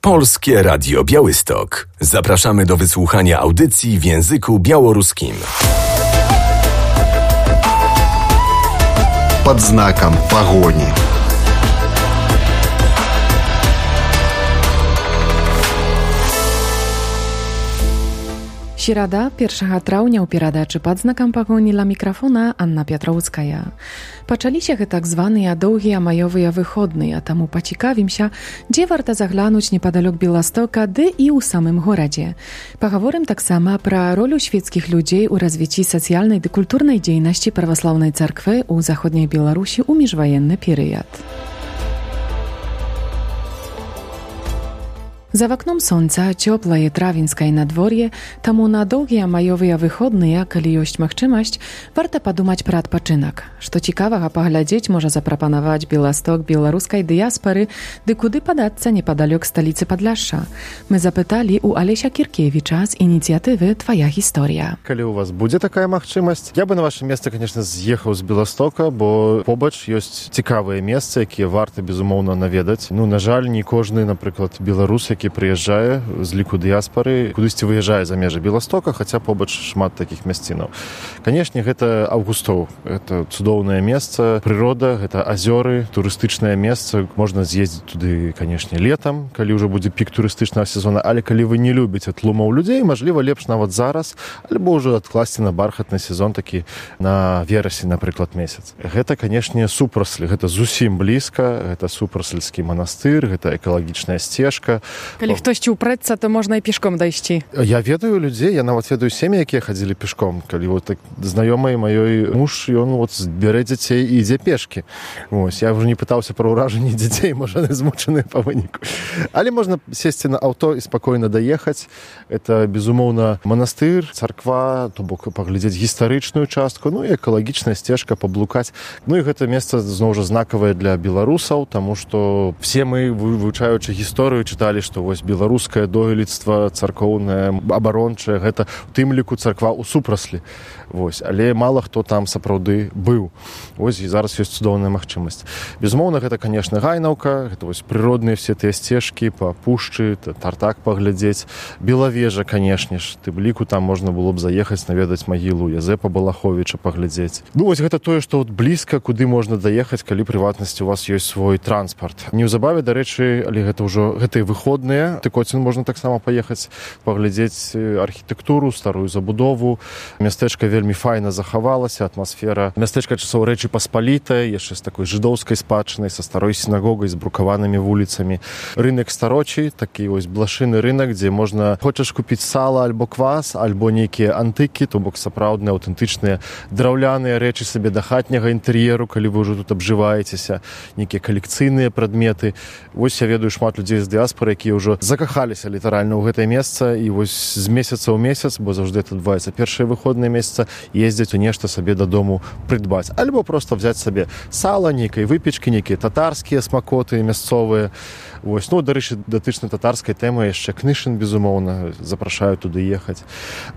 Polskie Radio Białystok. Zapraszamy do wysłuchania audycji w języku białoruskim. Под знаком погони. Środa, 1 trawnia u перадачы «Под знаком погони» ла микрофона Анна Пятроўская. Пачаліся так званыя доўгія маёвыя выходныя, таму пацікавімся, дзе варта заглянуць непадалёк Беластока, ды і ў самым горадзе. Пагаворым таксама пра ролю свецкіх людзей у развіцці сацыяльнай ды культурнай дзейнасці праваслаўнай царквы ў заходняй Беларусі ў міжваенны перыяд. За вакном сонца, цёплае травеньскае надвор'е, таму на доўгія маёвыя выходныя, калі ёсць магчымасць, варта падумаць пра адпачынак. Што цікавага паглядзець можа запрапанаваць Беласток беларускай дыяспары, ды куды падацца непадалёк сталіцы Падляшша. Мы запыталі у Алеся Кіркевіча з ініцыятывы «Твая гісторыя». Калі у вас будзе такая магчымасць, я бы на вашем месцы, конечно, з'ехаў з Беластока, бо побач ёсць цікавыя месцы, якія варта, безумоўна, наведаць. На жаль, не кожны, напрыклад, беларус, які прыязджае з ліку дыяспары, кудысьці выязджае за межы Беластока, хаця побач шмат такіх мясцінаў. Канешне, гэта Аўгустоў. Гэта цудоўнае месца, прырода, гэта азёры, турыстычнае месца. Можна з'ездзіць туды, канешне, летам, калі ўжо будзе пік турыстычнага сезона, але калі вы не любіце тлумаў людзей, мажліва, лепш нават зараз, альбо ўжо адкласці на бархатны сезон такі на верасень, напрыклад, месяц. Гэта, канешне, супраслі, гэта зусім блізка, гэта супрасельскі манастыр, гэта экалагічная сцежка. Калі хтосьці ўпрэцца, то можна і пешком дайсці. Я ведаю людзей, я нават ведаю сем'і, якія хадзілі пешком. Калі вот так знаёмай маёй муж, ён вот бярэ дзяцей і ідзе пешкі. Вось, я ўжо не пытаўся пра ўражанні дзяцей, можа, яны змучаныя па выніку. Але можна сесці на аўто і спакойна даехаць. Это, безумоўна, манастыр, царква, то бок паглядзець гістарычную частку, і экалагічная сцежка, паблукаць. І гэта месца, зноў жа, знакавае для беларусаў, таму што все мы, вывучаючы гісторыю, чыталі, што вось беларускае дойлідства царкоўнае, абарончае, гэта у тым ліку царква ў супраслі. Вось, але мала хто там сапраўды быў. Вось, і зараз ёсць цудоўная магчымасць. Безумоўна, гэта, канешне, гайнаўка, гэта вось прыродныя все тыя сцежкі па пушчы, Тартак паглядзець. Белавежа, канешне ж, тым ліку там можна было б заехаць, наведаць магілу Язэпа Балаховіча паглядзець. Вось гэта тое, што от блізка, куды можна даехаць, калі прыватнасці у вас ёсць свой транспарт. Неўзабаве, дарэчы, але гэта ўжо гэтыя выходныя, Тыкоцін можна таксама паехаць, паглядзець архітэктуру, старую забудову. Мястэчка вельмі файна захавалася, атмасфера мястэчка часоў Рэчы Паспалітай, яшчэ з такой жыдоўскай спадчынай, са старой сінагогай, з брукаванымі вуліцамі. Рынак Старочы, такі вось блашыны рынак, дзе можна, хочаш купіць сала альбо квас, альбо нейкія антыкі, то бок сапраўдныя, аўтэнтычныя драўляныя рэчы сабе да хатняга інтэр'еру, калі вы ўжо тут абжываецеся, нейкія калекцыйныя прадметы. Вось я ведаю шмат людзей з дыяспары, якія ўжо закахаліся літаральна ў гэтае месца, і вось з месяца ў месяц, бо заўжды это адбываецца першыя выходныя месяца, ездзяць у нешта сабе дадому прыдбаць. Альбо проста взяць сабе сала, нейкай выпечкі, нейкія татарскія смакоты мясцовыя. Вось, дарэчы, датычна татарскай тэмы яшчэ Кнышын, безумоўна, запрашаю туды ехаць.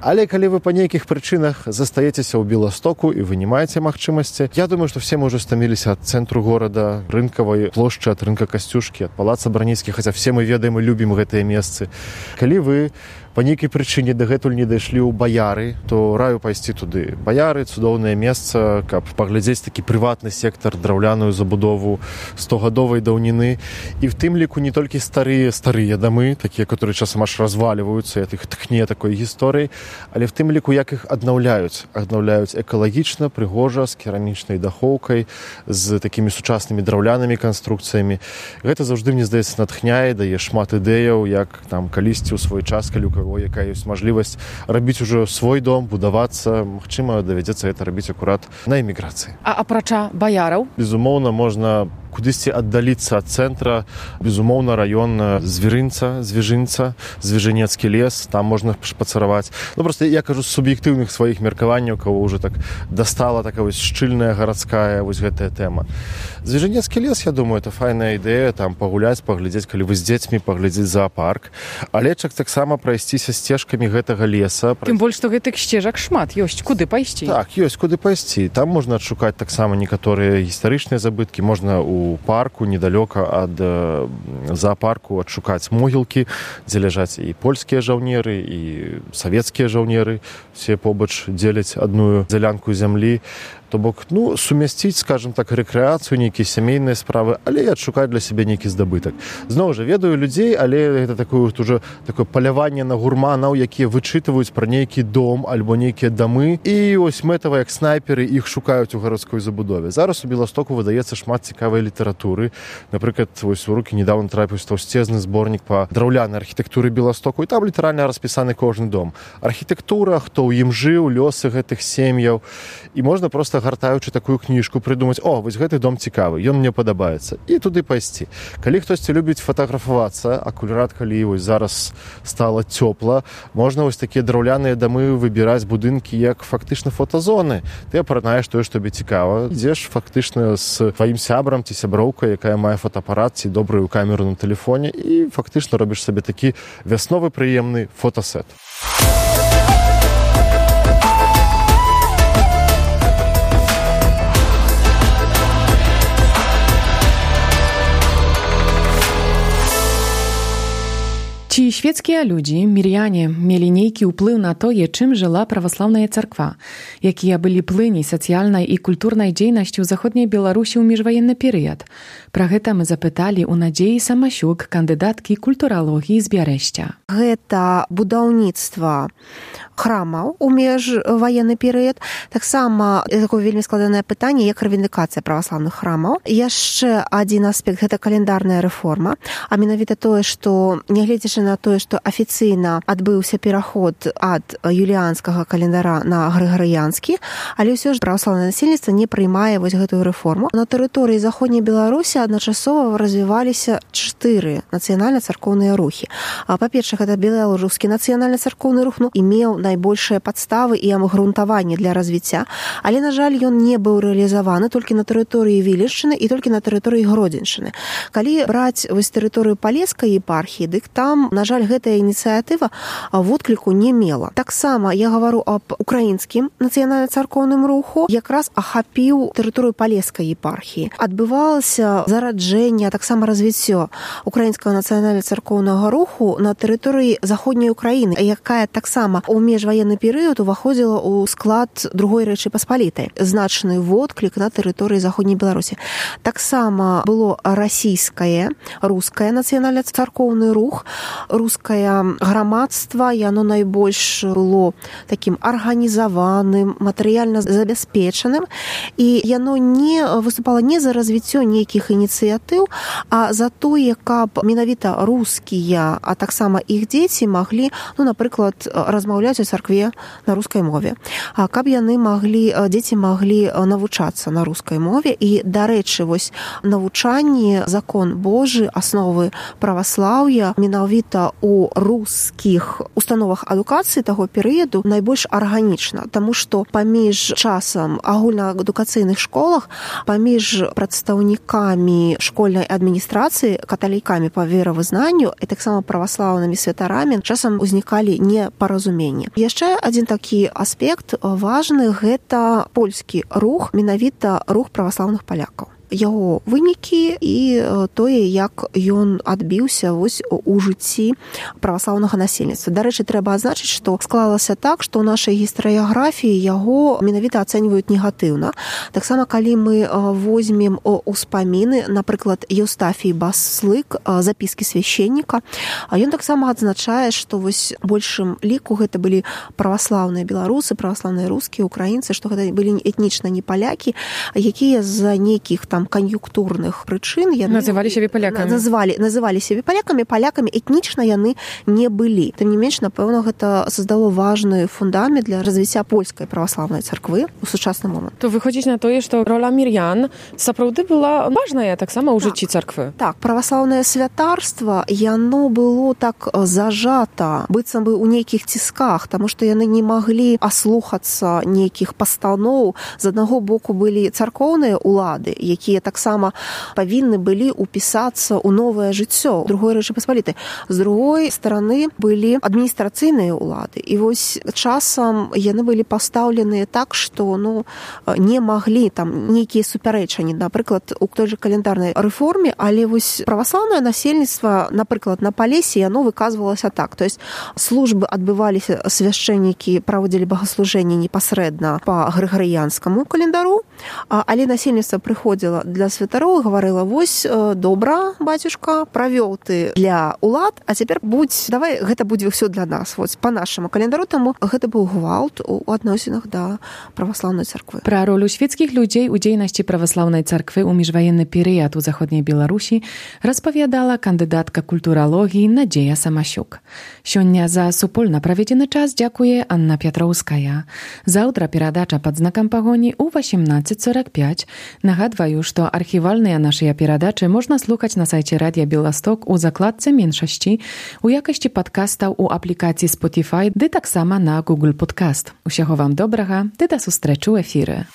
Але калі вы па нейкіх прычынах застаецеся ў Беластоку і вы не маеце магчымасці, я думаю, што все мы ўжо стаміліся ад цэнтру горада, рынкавай плошчы, ад рынка Касцюшкі, ад палаца Браніцкі, хаця все мы ведаем і любім гэтыя месцы. Калі вы па нейкай прычыне дагэтуль не дайшлі ў Баяры, то раю пайсці туды. Баяры — цудоўнае месца, каб паглядзець такі прыватны сектар, драўляную забудову 100-гадовай даўніны. І в тым ліку не толькі старыя дамы, такія, которые часам аж разваліваюцца, і іх тхне такой гісторыяй, але в тым ліку, як іх аднаўляюць. Аднаўляюць экалагічна, прыгожа, з керамічнай дахоўкай, з такімі сучаснымі драўлянымі канструкцыямі. Гэта заўжды, мне здаецца, натхняе, дае шмат ідэяў, як там калісьці ў свой час, калі якая ёсць мажлівасць рабіць ужо свой дом, будавацца, магчыма, давядзецца гэта рабіць акурат на эміграцыі. А апрача баяраў? Безумоўна, можна кудысьці аддаліцца ад цэнтра, безумоўна, раён Звярынца, Звяжынецкі лес, там можна шпацыраваць. Просто я кажу з суб'ектыўных сваіх меркаванняў, кого ўжо так дастала такая вось шчыльная гарадская вось гэтая тэма. Звяжынецкі лес, я думаю, это файная ідэя, там пагуляць, паглядзець, калі вы з дзецьмі, паглядзець зоапарк. Але таксама прайсціся сцежкамі гэтага леса. Тым больш, што гэтых сцежак шмат, ёсць куды пайсці. Так, ёсць куды пайсці. Там можна адшукаць таксама некаторыя гістарычныя забыткі, можна у у парку недалёка ад зоапарку адшукаць могілкі, дзе ляжаць і польскія жаўнеры, і савецкія жаўнеры. Все побач дзеляць адную дзялянку зямлі. То бок, сумясціць, скажем так, рэкрэацыю, нейкія сямейныя справы, але і адшукаць для сябе нейкі здабытак. Зноў жа, ведаю людзей, але гэта такое паляванне на гурманаў, якія вычытваюць пра нейкі дом альбо нейкія дамы, і ось мэтава, як снайперы, іх шукаюць у гарадской забудове. Зараз у Беластоку выдаецца шмат цікавай літаратуры. Напрыклад, вось у рукі недавно трапіў таўсцезны зборнік па драўлянай архітэктуры Беластоку, і там літаральна распісаны кожны дом. Архітэктура, хто ў ім жыў, лёсы гэтых сем'яў. І можна проста, гартаючы такую кніжку, прыдумаць: вось гэты дом цікавы, ён мне падабаецца, і туды пайсці. Калі хтосьці любіць фатаграфавацца, акурат калі вось зараз стала цёпла, можна вось такія драўляныя дамы выбіраць будынкі як фактычна фотазоны. Ты апранаеш тое, што табе цікава, ідзеш фактычна з тваім сябрам ці сяброўкай, якая мае фотаапарат ці добрую камеру на тэлефоне, і фактычна робіш сабе такі вясновы прыемны фотасет. Ці шведскія людзі, міряне, мелі нейкі ўплыў на тое, чым жыла праваслаўная царква, якія былі плыні сацыяльнай і культурнай дзейнасці ў заходняй Беларусі ў міжваенны перыяд. Пра гэта мы запыталі ў Надзеі Самасюк, кандыдаткі культуралогіі з Бярэшця. Гэта будаўніцтва храмаў у міжваенны перыяд. Таксама такое вельмі складанае пытанне, як рэвіндыкацыя праваслаўных храмаў. Яшчэ адзін аспект – гэта календарная рэформа, а менавіта тое, што нягледзячы на тое, што афіцыйна адбыўся пераход ад юліанскага календара на грыгарыянскі, але ўсё ж праваслаўнае насельніцтва не прыймае вось гэтую рэформу. На тэрыторыі заходняй Беларусі адначасова развіваліся 4 нацыянальна-царкоўныя рухі. Па-першае, гэта беларускі нацыянальна-царкоўны рух, імеў найбольшыя падставы і абгрунтаванне для развіцця, але, на жаль, ён не быў рэалізаваны толькі на тэрыторыі Вілішчыны і толькі на тэрыторыі Гродзеншчыны. Калі браць вось тэрыторыю Палескай епархіі, дык там, на жаль, гэтая ініцыятыва водкліку не мела. Таксама я гавару аб украінскім нацыянальна-царкоўным руху, якраз ахапіў тэрыторыю Палескай епархіі. Адбывалася зараджэнне, таксама развіццё украінскага нацыянальна-царкоўнага руху на тэрыторыі заходняй Украіны, якая таксама у міжваенны перыяд уваходзіла ў склад другой Рэчы Паспалітай. Значны водклік на тэрыторыі заходняй Беларусі. Таксама было расійскае, рускае нацыянальна-царкоўны рух, рускае грамадства, яно найбольш было такім арганізаваным, матэрыяльна забяспечаным, і яно не выступала не за развіццё нейкіх ініцыятыў, а за тое, каб менавіта рускія, а таксама іх дзеці маглі, напрыклад, размаўляць у царкве на рускай мове. Каб яны дзеці маглі навучацца на рускай мове, і, дарэчы, вось навучанне, закон Божы, асновы праваслаўя менавіта у рускіх установах адукацыі таго перыяду найбольш арганічна, таму што паміж часам агульнаадукацыйных школах, паміж прадстаўнікамі школьнай адміністрацыі, каталікамі па веравызнанню і таксама праваслаўнымі святарамі часам узнікалі непаразуменні. Яшчэ адзін такі аспект важны – гэта польскі рух, менавіта рух праваслаўных палякаў. Яго вынікі і тое, як ён адбіўся вось у жыцці праваслаўнага насельніцтва. Дарэчы, трэба адзначыць, што склалася так, што ў нашай гістарыяграфіі яго менавіта ацэньваюць негатыўна. Таксама, калі мы возьмем успаміны, напрыклад, Еўстафій Баслык, запіскі свяшчэнніка, ён таксама адзначае, што вось большым ліку гэта былі праваслаўныя беларусы, праваслаўныя рускія, украінцы, што гэта былі этнічна не палякі, якія з-за нейкіх там кан'юнктурных прычын яны называлі сябе палякамі. Называлі сябе палякамі этнічна яны не былі. Тым не менш, напэўна, гэта создало важны фундамент для развіцця польскай праваслаўнай царквы ў сучасны момант. То выходзіць на тое, што роля мірян сапраўды была важная таксама ў жыцці царквы. Так, праваслаўнае святарства, яно было так зажата, быццам бы ў нейкіх цісках, таму што яны не маглі аслухацца нейкіх пастаноў. З аднаго боку былі царкоўныя улады, якія таксама павінны былі упісацца ў новае жыццё другой Рэчы Паспалітай. З другой стороны былі адміністрацыйныя ўлады. І вось часам яны былі пастаўленыя так, што не маглі там нейкія супярэчанні, напрыклад, у той же календарнай рэформе, але вось праваслаўнае насельніцтва, напрыклад, на Палесе, яно выказвалася так. То есть службы адбываліся, свяшчэннікі праводзілі багаслужэнні непасрэдна па грыгарыянскаму календару, але насельніцтва прыходзіла для святароў і гаварыла: вось, добра, бацюшка, правёў ты для улад, а цяпер давай гэта будзе ўсё для нас, вось, па нашаму календару. Таму гэта быў гвалт у адносінах да праваслаўнай царквы. Пра ролю свецкіх людзей у дзейнасці праваслаўнай царквы ў міжваенны перыяд у заходняй Беларусі распавядала кандыдатка культуралогіі Надзея Самасюк. Сёння за супольна праведзены час дзякуе Анна Пятроўская. Заўтра перадача пад знакам пагоні ў 18:45. Нагадваю, што архівальныя нашыя перадачы можна слухаць на сайце Радіа Беласток у закладцы меншасці, у якасці падкастаў у аплікацыі Spotify, ды таксама на Google Podcast. Усяго вам добрага, ды да сустрэчы ў эфіры.